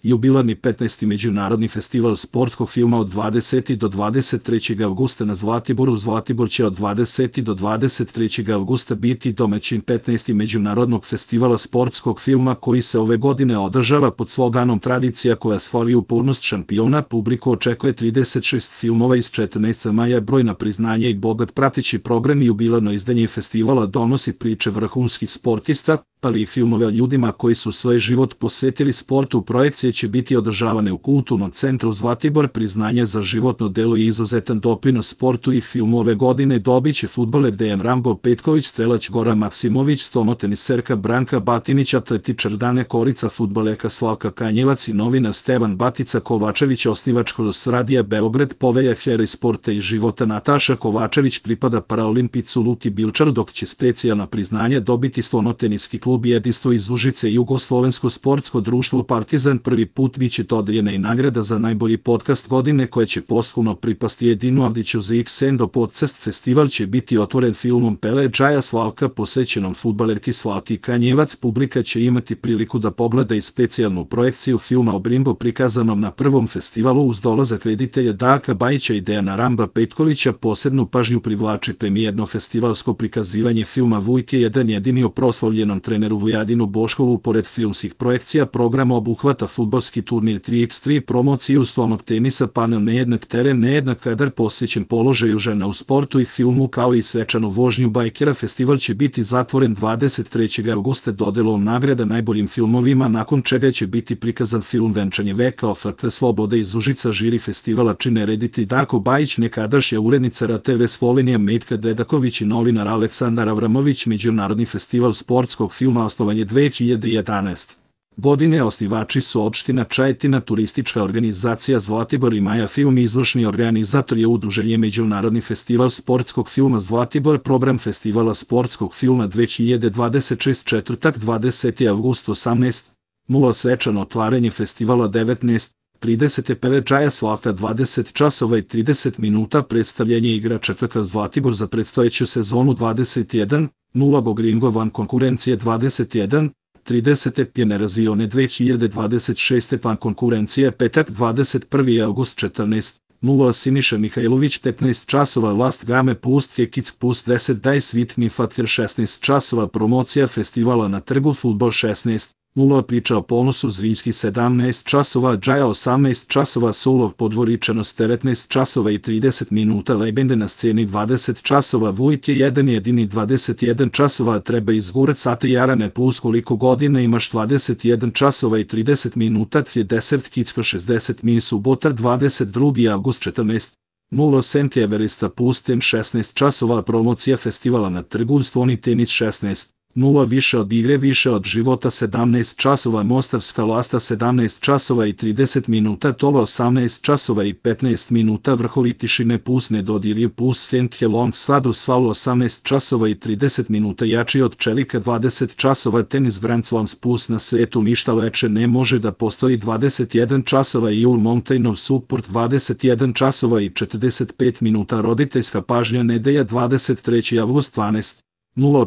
Jubilarni 15. Međunarodni festival sportskog filma od 20. do 23. avgusta na Zlatiboru. Zlatibor će od 20. do 23. avgusta biti domaćin 15. Međunarodnog festivala sportskog filma koji se ove godine održava pod sloganom Tradicija koja slavi upornost šampiona. Publiku očekuje 36 filmova iz 14 zemalja, brojna priznanja i bogat prateći program. Jubilarno izdanje festivala donosi priče vrhunskih sportista, ali i filmove o ljudima koji su svoj život posvetili sportu. Projekcije će biti održavane u Kulturnom centru Zlatibor. Priznanje za životno delo i izuzetan doprinos sportu i filmu ove godine dobit će fudbaler Dejan Rambo Petković, strelač Goran Maksimović, stonoteniserka Branka Batinić, atletičar Dane Korica, fudbalerka Slavka Kanjevac i novinar Stevan Batica Kovačević, osnivač Kroz Radija Beograd, povelja heroj sporta i života Nataša Kovačević pripada paraolimpicu Luki Bilčaru, dok će specijalna priznanja dobiti stonoteniski klub Jedinstvo iz Užice i Jugoslovensko sportsko društvo Partizan. Prvi put biće dodeljena i nagrada za najbolji podcast godine koja će posthumno pripasti Edinu Avdiću za Xendo Podcast. Festival će biti otvoren filmom Pele Džaja Slavka posvećenom fudbalerki Slavki Kanjevac. Publika će imati priliku da pogleda i specijalnu projekciju filma o Brimbo prikazanom na prvom festivalu uz dolazak reditelja Darka Bajića i Dejana Ramba Petkovića. Posebnu pažnju privlači premijerno festivalsko prikazivanje filma Vujke, jedan jedini o proslavljenom treneru Vujadinu Boškovu. Pored filmskih projekcija, program obuhvata fudbalski turnir 3x3, promociju stolnog tenisa, panel Nejednak teren, nejednak kadar posvećen položaju žena u sportu i filmu, kao i svečanu vožnju bajkera. Festival će biti zatvoren 23. avgusta dodelom nagrada najboljim filmovima, nakon čega će biti prikazan film Venčanje veka Oferta slobode iz Užica. Žiri festivala čine reditelj Darko Bajić, nekadašnja urednica RTV Slovenija Metka Dedaković i novinar Aleksandar Avramović. Međunarodni festival sportskog filma osnovan je 2011. godine. Osnivači su opština Čajetina, turistička organizacija Zlatibor i Maja Film. Izvršni organizator je udruženje Međunarodni festival sportskog filma Zlatibor. Program festivala sportskog filma 2026, četvrtak 20. avgust 18:00, svečano otvaranje festivala 19:30, Pele Džaja Slavka 20 časova i 30 minuta, predstavljanje igrača KK Zlatibor za predstojeću sezonu 21:00, Bogringo van konkurencije 21:30, Generazione 2026 van konkurencije, petak 21. avgust 14:00, Siniša Mihajlović 15 časova, Last Game Pust Hekic Pust 10 Dajs Vitni Fatir 16 časova, promocija festivala na trgu, fudbal 16:00, priča o ponosu Zvinjski 17 časova, Džaja 18 časova, Sulov Podvoričanost 19 časova i 30 minuta, Lebende na sceni 20 časova, Vujk je jedan jedini 21 časova, Treba izgurat sate Jarane plus koliko godina imaš 21 časova i 30 minuta, 30 Kicko 60 min, subota 22. avgust 14:00, Sent Everesta Pustem 16 časova, promocija festivala na trgu, Stvoni tenis 16:00, više od igre, više od života 17 časova, Mostarska lasta 17 časova i 30 minuta, Tola 18 časova i 15 minuta, Vrhovi tišine plus Nedodirje plus Fenthe Long Svadu Svalu 18 časova i 30 minuta, Jači od čelika 20 časova, Tenis Grand Slams plus Na svetu ništa leče ne može da postoji 21 časova i Jul Mountainov Support 21 časova i 45 minuta, Roditeljska pažnja nedelja 23. avgust 12:00,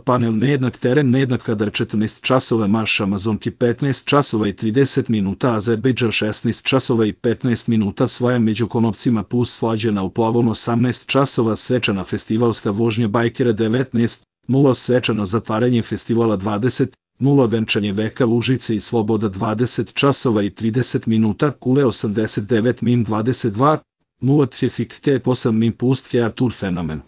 panel Nejednak teren, nejednak kadar 14 časova, Marš Amazonki 15 časova i 30 minuta, Azerbejdžan 16 časova i 15 minuta, Svoja među konopcima plus Slađana u plavom 18 časova, svečana festivalska vožnja bajkera 19:00, svečano zatvaranje festivala 20:00, Venčanje veka Lužice i Sloboda 20 časova i 30 minuta, Kule 89 min 22:00, Trafik T8 min pust Artur Fenomen.